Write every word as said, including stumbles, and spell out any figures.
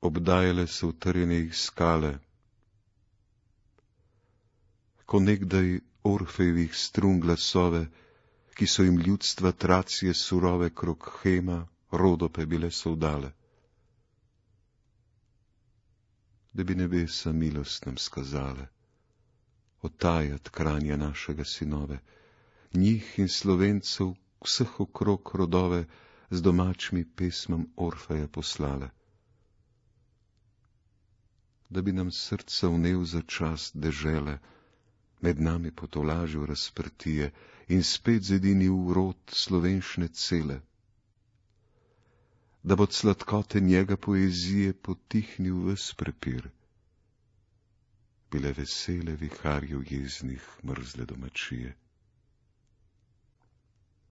obdajale so utrjene jih skale. Ko nekdaj Orfejevih strun glasove, ki so jim ljudstva Tracije surove krog Hema, Rodope bile soldale. Da bi nebesa milost nam skazale, otajat kranja našega sinove, njih in Slovencev vseh okrog rodove z domačmi pesmam Orfeja poslale. Da bi nam srca vnev za čas dežele, med nami potolažil razprtije in spet zedinil rod slovenšne cele. Da bod sladkote njega poezije potihnil ves prepir, bile vesele viharjev jeznih mrzle domačije.